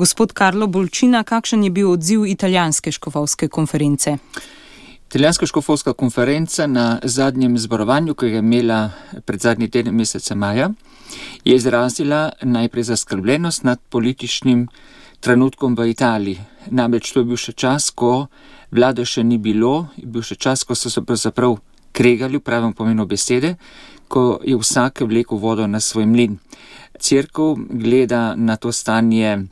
Gospod Karlo Bolčina, kakšen je bil odziv italijanske škofovske konference? Italijanska škofovska konferenca na zadnjem zborovanju, ki ga je imela pred zadnji teden meseca maja, je izrazila najprej zaskrbljenost nad političnim trenutkom v Italiji. Namreč to je bil še čas, ko vlade še ni bilo, je bil še čas, ko so se pravzaprav kregali v pravem pomenu besede, ko je vsak vlekel vodo na svoj mlin. Cerkev gleda na to stanje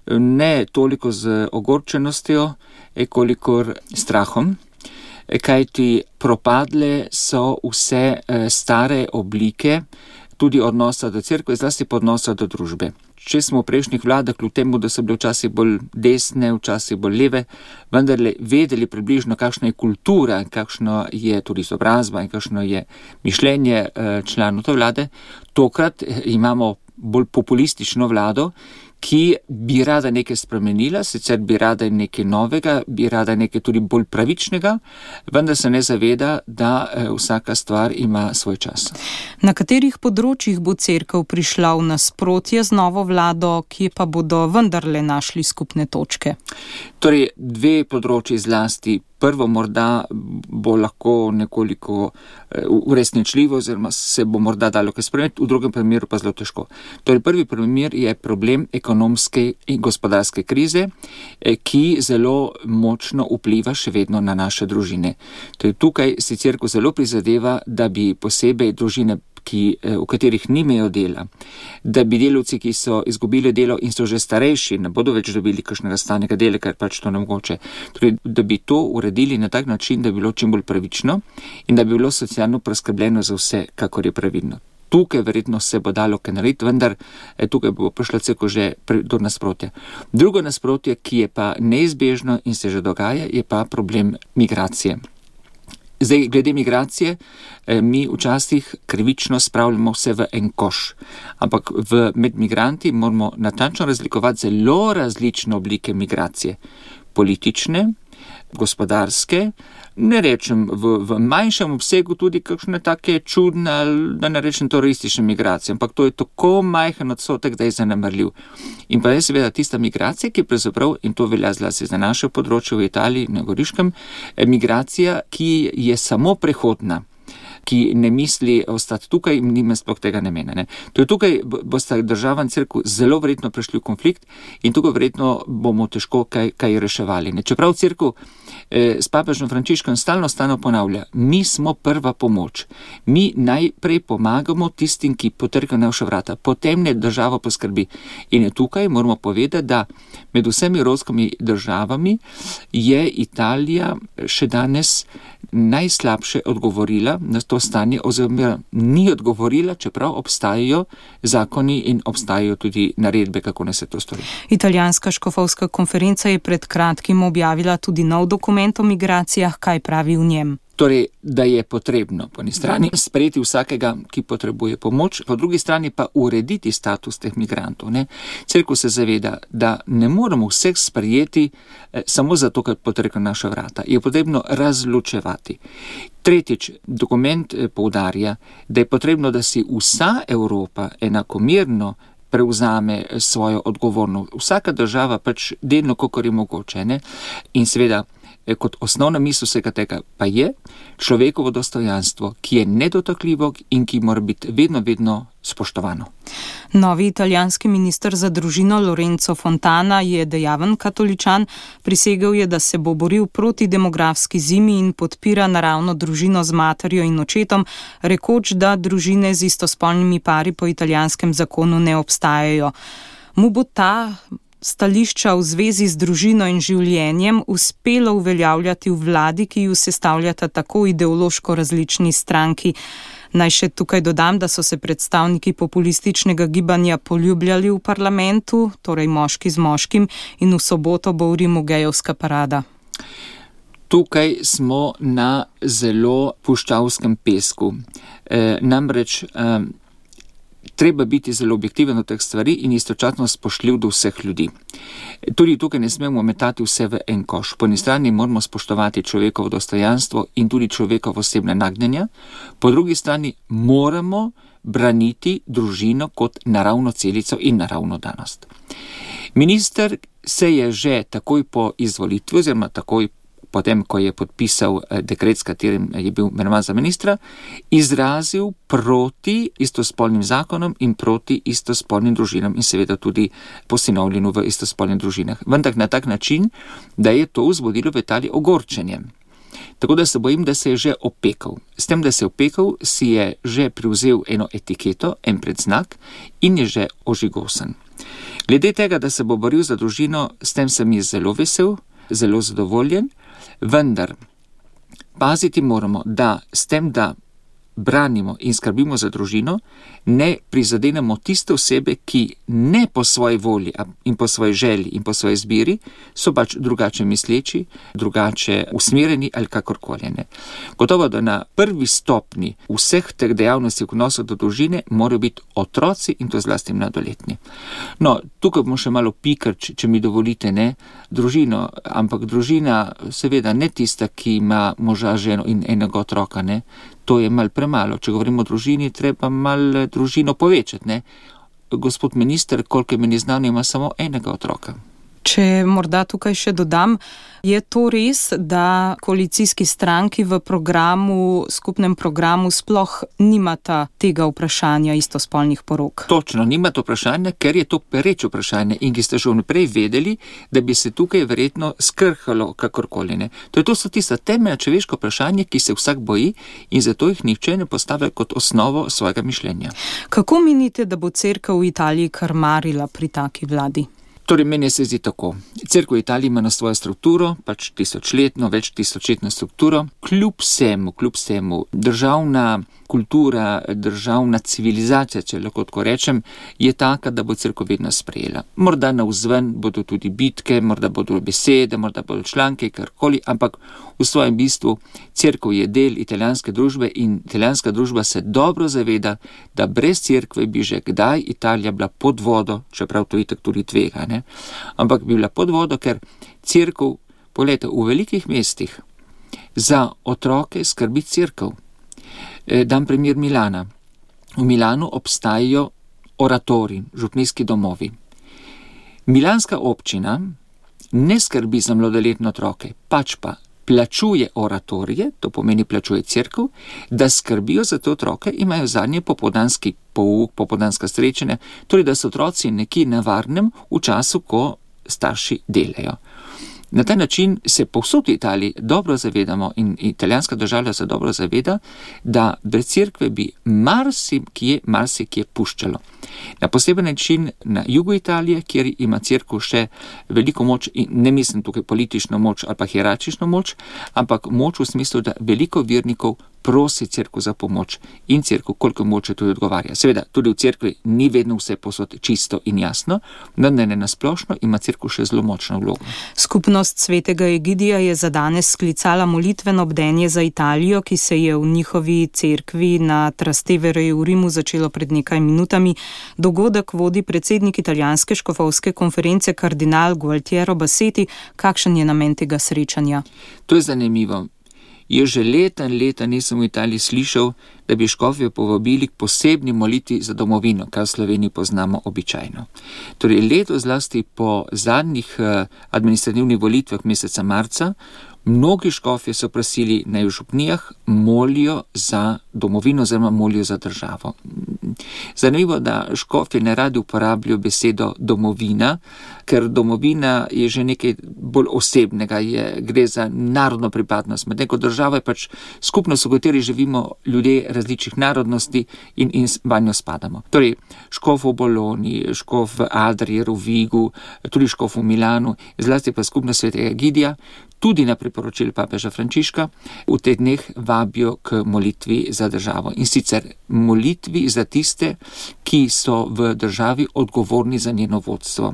ne toliko z ogorčenostjo, kolikor strahom, kajti propadle so vse stare oblike, tudi odnosa do cerkve, zlasti pa odnosa do družbe. Če smo v prejšnjih vladah, kljub temu, da so bile včasih bolj desne, včasih bolj leve, vendarle vedeli približno, kakšna je kultura, kakšno je tudi izobrazba in kakšno je mišljenje članov te vlade, tokrat imamo bolj populistično vlado, ki bi rada nekaj spremenila, sicer bi rada nekaj novega, bi rada nekaj tudi bolj pravičnega, vendar se ne zaveda, da vsaka stvar ima svoj čas. Na katerih področjih bo cerkev prišla v nasprotje z novo vlado, kje pa bodo vendarle našli skupne točke? Torej, dve področji zlasti. Prvo morda bo lahko nekoliko uresničljivo, oziroma se bo morda dalo kaj spremeniti, v drugem primeru pa zelo težko. Torej, prvi primer je problem ekonomske in gospodarske krize, ki zelo močno vpliva še vedno na naše družine. Torej, tukaj si cerkev zelo prizadeva, da bi posebej družine, v katerih nimajo dela, da bi delavci, ki so izgubili delo in so že starejši, ne bodo več dobili kakšnega stalnega dela, ker pač to ne mogoče. Torej, da bi to uredili na tak način, da bi bilo čim bolj pravično in da bi bilo socialno preskrbljeno za vse, kakor je pravilno. Tukaj verjetno se bo dalo kaj narediti, vendar tukaj bo prišla cerkev že do nasprotja. Drugo nasprotje, ki je pa neizbežno in se že dogaja, je pa problem migracije. Zdaj, glede migracije, mi včasih krivično spravljamo vse v en koš, ampak med migranti moramo natančno razlikovati zelo različne oblike migracije. Politične, gospodarske, ne rečem v manjšem obsegu tudi kakšne take čudne, da ne rečem teroristične migracije, ampak to je tako majhen odstotek, da je zanemarljiv. In pa je seveda tista migracija, ki pravzaprav, in to velja zlasti za naše področje v Italiji, na Goriškem, migracija, ki je samo prehodna, ki ne misli ostati tukaj in nima sploh tega namena. Ne. To je tukaj bosta država in cerkev zelo verjetno prišli v konflikt in tukaj verjetno bomo težko kaj reševali. Ne. Čeprav cerkev s papežem Frančiškom stalno ponavlja, mi smo prva pomoč. Mi najprej pomagamo tistim, ki potrkajo naša vrata, potem ne država poskrbi. In tukaj moramo povedati, da med vsemi evropskimi državami je Italija še danes najslabše odgovorila na to stanje, oziroma ni odgovorila, čeprav obstajajo zakoni in obstajajo tudi naredbe, kako ne se to stori. Italijanska škofovska konferenca je pred kratkim objavila tudi nov dokument o migracijah, kaj pravi v njem. Torej, da je potrebno po eni strani sprejeti vsakega, ki potrebuje pomoč, po drugi strani pa urediti status teh migrantov. Ne? Cerkev se zaveda, da ne moramo vseh sprejeti samo zato, ker potrkajo naša vrata. Je potrebno razločevati. Tretjič, dokument poudarja, da je potrebno, da si vsa Evropa enakomerno prevzame svojo odgovornost. Vsaka država pač delno, kolikor je mogoče. Ne? In seveda, kot osnovna misel vsega tega pa je človekovo dostojanstvo, ki je nedotakljivo in ki mora biti vedno spoštovano. Novi italijanski minister za družino Lorenzo Fontana je dejaven katoličan, prisegel je, da se bo boril proti demografski zimi in podpira naravno družino z materjo in očetom, rekoč, da družine z istospolnimi pari po italijanskem zakonu ne obstajajo. Mu bo ta stališča v zvezi z družino in življenjem uspelo uveljavljati v vladi, ki ju sestavljata tako ideološko različni stranki. Naj še tukaj dodam, da so se predstavniki populističnega gibanja poljubljali v parlamentu, torej moški z moškim, in v soboto bo v Rimu gejevska parada. Tukaj smo na zelo puščavskem pesku. Namreč treba biti zelo objektiven od teh stvari in istočasno spoštljiv do vseh ljudi. Tudi tukaj ne smemo metati vse v en koš. Po eni strani moramo spoštovati človekovo dostojanstvo in tudi človekovo osebne nagnjenja, po drugi strani moramo braniti družino kot naravno celico in naravno danost. Minister se je že takoj po izvolitvi, oziroma takoj potem, ko je podpisal dekret, s katerim je bil imenovan za ministra, izrazil proti istospolnim zakonom in proti istospolnim družinam in seveda tudi posinovljenju v istospolnih družinah. Vendar na tak način, da je to vzbudilo v Italiji ogorčenje. Tako da se bojim, da se je že opekal. S tem, da se je opekal, si je že privzel eno etiketo, en predznak in je že ožigosan. Glede tega, da se bo boril za družino, s tem sem jaz zelo vesel, zelo zadovoljen, vendar paziti moramo, da s tem, da branimo in skrbimo za družino, ne prizadenemo tiste osebe, ki ne po svoji volji in po svoji želji in po svoji izbiri so pač drugače misleči, drugače usmerjeni ali kakorkoli. Gotovo, da na prvi stopni vseh teh dejavnosti v odnosu do družine morajo biti otroci in to zlasti mladoletni. No, tukaj bomo še malo pikar, če mi dovolite, družino, ampak družina seveda ne tista, ki ima moža, ženo in enega otroka, To je malo premalo. Če govorimo o družini, treba malo družino povečati, Gospod minister, koliko meni znano, ima samo enega otroka. Če morda tukaj še dodam, je to res, da koalicijski stranki v skupnem programu sploh nimata tega vprašanja istospolnih porok? Točno, nimata vprašanja, ker je to pereče vprašanje in ki ste že vnaprej vedeli, da bi se tukaj verjetno skrhalo kakorkoli. To so tista temeljna človeška vprašanja, ki se vsak boji in zato jih nihče ne postavlja kot osnovo svojega mišljenja. Kako menite, da bo cerkev v Italiji krmarila pri taki vladi? Torej, meni se zdi tako. Cerkev v Italiji ima na svojo strukturo, pač tisočletno, več tisočletno strukturo. Kljub vsemu, državna kultura, državna civilizacija, če lahko tako rečem, je taka, da bo cerkev vedno sprejela. Morda navzven bodo tudi bitke, morda bodo besede, morda bodo članke, karkoli, ampak v svojem bistvu cerkev je del italijanske družbe in italijanska družba se dobro zaveda, da brez cerkve bi že kdaj Italija bila pod vodo, čeprav to itak tudi tvega, ampak bi bila pod vodo, ker cerkev, poglejte, v velikih mestih za otroke skrbi cerkev. Dam primer Milana. V Milanu obstajajo oratoriji, župnijski domovi. Milanska občina ne skrbi za mladoletne otroke, pač pa plačuje oratorije, to pomeni plačuje cerkev, da skrbijo za te otroke, imajo zadnje popoldanski pouk, popoldanska srečanja, torej da so otroci nekje na varnem v času, ko starši delajo. Na ta način se povsod v Italiji dobro zavedamo in italijanska država se dobro zaveda, da brez cerkve bi marsikje puščalo. Na poseben način na jugu Italije, kjer ima cerkev še veliko moč, in ne mislim tukaj politično moč ali pa hierarhično moč, ampak moč v smislu, da veliko vernikov prosi cerkev za pomoč in cerkev koliko moče tudi odgovarja. Seveda, tudi v cerkvi ni vedno vse posod čisto in jasno, vendar ne nasplošno ima cerkev še zelo močno vlogo. Skupnost svetega Egidija je za danes sklicala molitveno bdenje za Italijo, ki se je v njihovi cerkvi na Trastevereju v Rimu začelo pred nekaj minutami. Dogodek vodi predsednik italijanske škofovske konference kardinal Gualtiero Bassetti. Kakšen je namen tega srečanja? To je zanimivo. Je že leta nisem v Italiji slišal, da bi škofje povabili k posebni molitvi za domovino, kar v Sloveniji poznamo običajno. Torej, leto zlasti po zadnjih administrativnih volitvah meseca marca, mnogi škofje so prosili, naj v župnijah molijo za domovino oziroma molijo za državo. Zanimivo, da škofje ne radi uporabljajo besedo domovina, ker domovina je že nekaj bolj osebnega, gre za narodno pripadnost. Medtem ko država je pač skupnost, v kateri živimo ljudje različnih narodnosti in vanjo spadamo. Torej, škof v Bologni, škof v Adriji, v Vigu, tudi škof v Milanu, zlasti pa skupnost svetega Egidija, tudi na priporočilo papeža Frančiška, v teh dneh vabijo k molitvi za državo. In sicer molitvi za tiste, ki so v državi odgovorni za njeno vodstvo.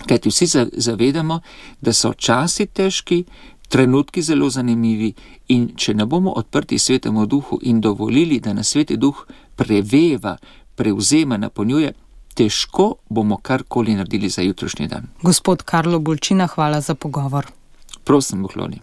Kajti vsi zavedamo, da so časi težki, trenutki zelo zanimivi in če ne bomo odprti svetemu duhu in dovolili, da nas sveti duh preveva, prevzema, napolnjuje, težko bomo karkoli naredili za jutrišnji dan. Gospod Karlo Bolčina, hvala za pogovor. Prosim, Bohloni.